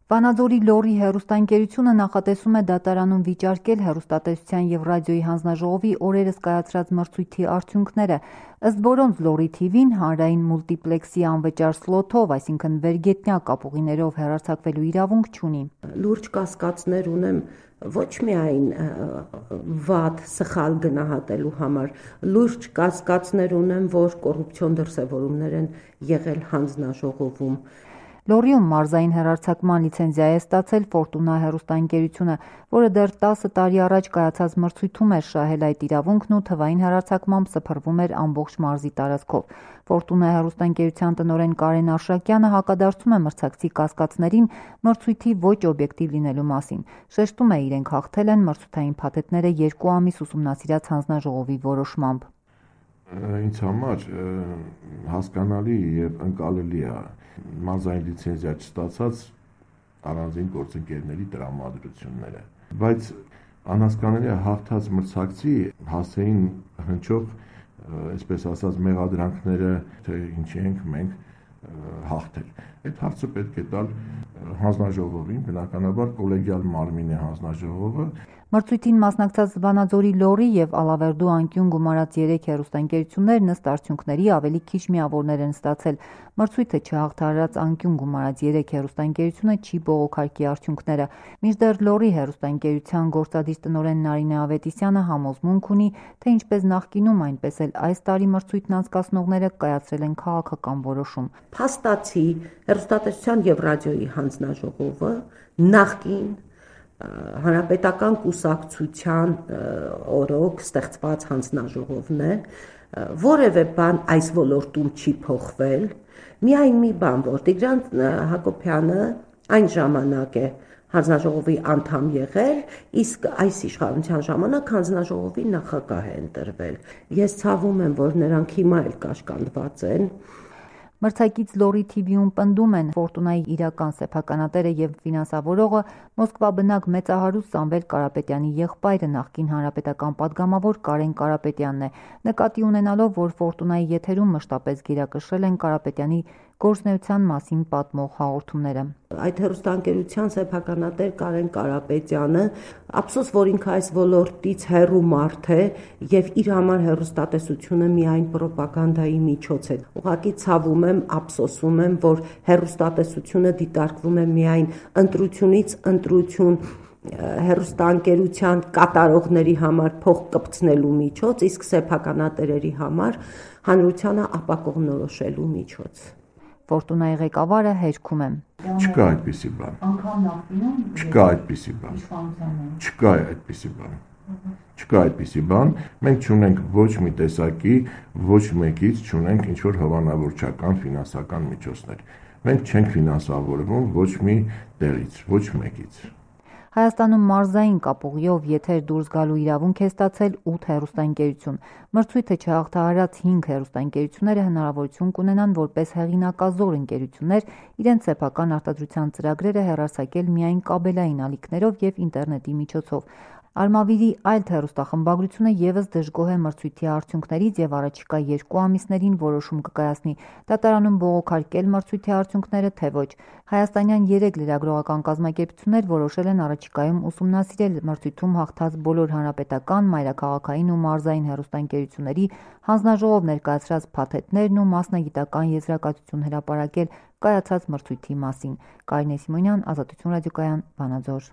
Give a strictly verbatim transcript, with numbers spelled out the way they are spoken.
Վանաձորի Լոռի հեռուստաընկերությունը նախատեսում է դատարանում վիճարկել հեռուստատեսության և ռադիոյի հանձնաժողովի օրերս կայացրած մրցույթի արդյունքները, ըստ որոնց Լոռի թիվին հանրային մուլտիպլեքսի անվճար սլոթով, այսինքն վերգետնյա կապուղիներով հեռարձակվելու իրավունք չունի։ Լուրջ կասկածներ ունեմ ոչ միայն վատ, սխալ գնահատելու համար, լուրջ կասկածներ ունեմ, որ կոռուպցիոն դրսևորումներ են եղել հանձնաժողովում։ Լոռիում մարզային հեռարձակման լիցենզիա է ստացել Ֆորտունա հեռուստաընկերությունը, որը դեռ տասը տարի առաջ կայացած մրցույթում էր շահել այդ իրավունքն ու թվային հեռարձակմամբ սփռվում էր ամբողջ մարզի տարածքով։ Ֆորտունա հեռուստաընկերության տնօրեն Կարեն Արշակյանը հակադարձում է մրցակցի կասկածներին մրցույթի ոչ օբյեկտիվ լինելու մասին։ Շեշտում է, իրենք հաղթել են մրցութային փաթեթները երկու ամիս ուսումնասիրած հանձնաժողովի որոշմամբ։ Ինձ համար հասկանալի եւ ընկալելի է մարզային լիցենզիա չստացած առանձին գործընկերների տրամադրությունները, բայց անհասկանալի է հաղթած մրցակցի հասցեին հնչող, այսպես ասած, մեղադրանքները, թե ինչի ենք մենք հաղթել։ Այդ հարցը պետք է տալ հանձնաժողովին, բնականաբար կոլեգիալ մարմին է հանձնաժողովը։ Մրցույթին մասնակցած Վանաձորի Լոռի և Ալավերդու անկյուն գումարած երեք հեռուստաընկերություններն ըստ արդյունքների ավելի քիչ միավորներ են ստացել։ Մրցույթը չհաղթահարած անկյուն գումարած երեք հեռուստաընկերությունը չի բողոքարկի արդյունքները։ Մինչդեռ Լոռի հեռուստաընկերության գործադիր տնօրեն Նարինե Ավետիսյանը համոզմունք ունի, թե ինչպես նախկինում, այնպես էլ այս տարի մրցույթն անցկացնողները կայացրել են քաղաքական որոշում։ Փաստացի հեռուստատեսության և ռադիոյի հանձնաժողովը նախկին հանրապետական կուսակցության օրոք ստեղծված հանձնաժողովն է, որևէ բան այս ոլորտում չի փոխվել, միայն մի բան, որ Տիգրան Հակոբյանը այն ժամանակ է հանձնաժողովի անդամ եղել, իսկ այս իշխանության ժամանակ հանձնաժողովի նախագահ է ընտրվել։ Ես ցավում եմ, որ նրանք հիմա էլ կաշկանդված են։ Մրցակից Լոռի թիվիում պնդում են Ֆորտունայի իրական սեփականատերը և ֆինանսավորողը Մոսկվա բնակ մեծահարուստ Սամվել Կարապետյանի եղբայրը նախկին հանրապետական պատգամավոր Կարեն Կարապետյանն է, նկատի ունենալով, որ Ֆորտունայի եթերում մշտապես գերակշռել են Կարապետյանի գործունեության մասին պատմող հաղորդումները։ Այդ հեռուստաընկերության սեփականատեր Կարեն Կարապետյանը, ափսոս, որ ինքը այս ոլորտից հեռու մարդ է եւ իր համար հեռուստատեսությունը միայն պրոպագանդայի միջոց է։ Ուղղակի ցավում եմ, ափսոսում եմ, որ հեռուստատեսությունը դիտարկվում է միայն ընտրությունից ընտրություն հեռուստաընկերության կատարողների համար փող կպցնելու միջոց, իսկ սեփականատերերի համար հանրությանը ապակողնորոշելու միջոց։ Ֆորտունայի ղեկավարը հերքում է։ Չկա այդպիսի բան։ Անգամ նախկինում Չկա այդպիսի բան։ Չկա այդպիսի բան։ Չկա այդպիսի բան։ Մենք չունենք ոչ մի տեսակի, ոչ մեկից չունենք ինչ-որ հովանավորչական ֆինանսական միջոցներ։ Մենք չենք ֆինանսավորվում ոչ մի տեղից, ոչ մեկից։ Հայաստանում մարզային կապուղիով եթեր դուրս գալու իրավունք է ստացել ութ հեռուստաընկերություն։ Մրցույթը չհաղթահարած հինգ հեռուստաընկերությունները հնարավորություն կունենան որպես հեղինակազոր ընկերություններ իրենց սեփական արտադրության ծրագրերը հեռարձակել միայն կաբելային ալիքներով և ինտերնետի միջոցով։ Արմավիրի այլ հեռուստախմբագրությունը ևս դժգոհ է մրցույթի արդյունքներից և առաջիկա երկու ամիսներին որոշում կկայացնի՝ դատարանում բողոքարկել մրցույթի արդյունքները, թե ոչ։ Հայաստանյան երեք լրագրողական կազմակերպություններ որոշել են առաջիկայում ուսումնասիրել մրցույթում հաղթած բոլոր հանրապետական, մայրաքաղաքային ու մարզային հեռուստաընկերությունների հանձնաժողով ներկայացրած փաթեթներն ու մասնագիտական եզրակացություն հրապարակել կայացած մրցույթի մասին։ Կարինե Սիմոնյան, Ազատություն ռադիոկայան, Վանաձոր։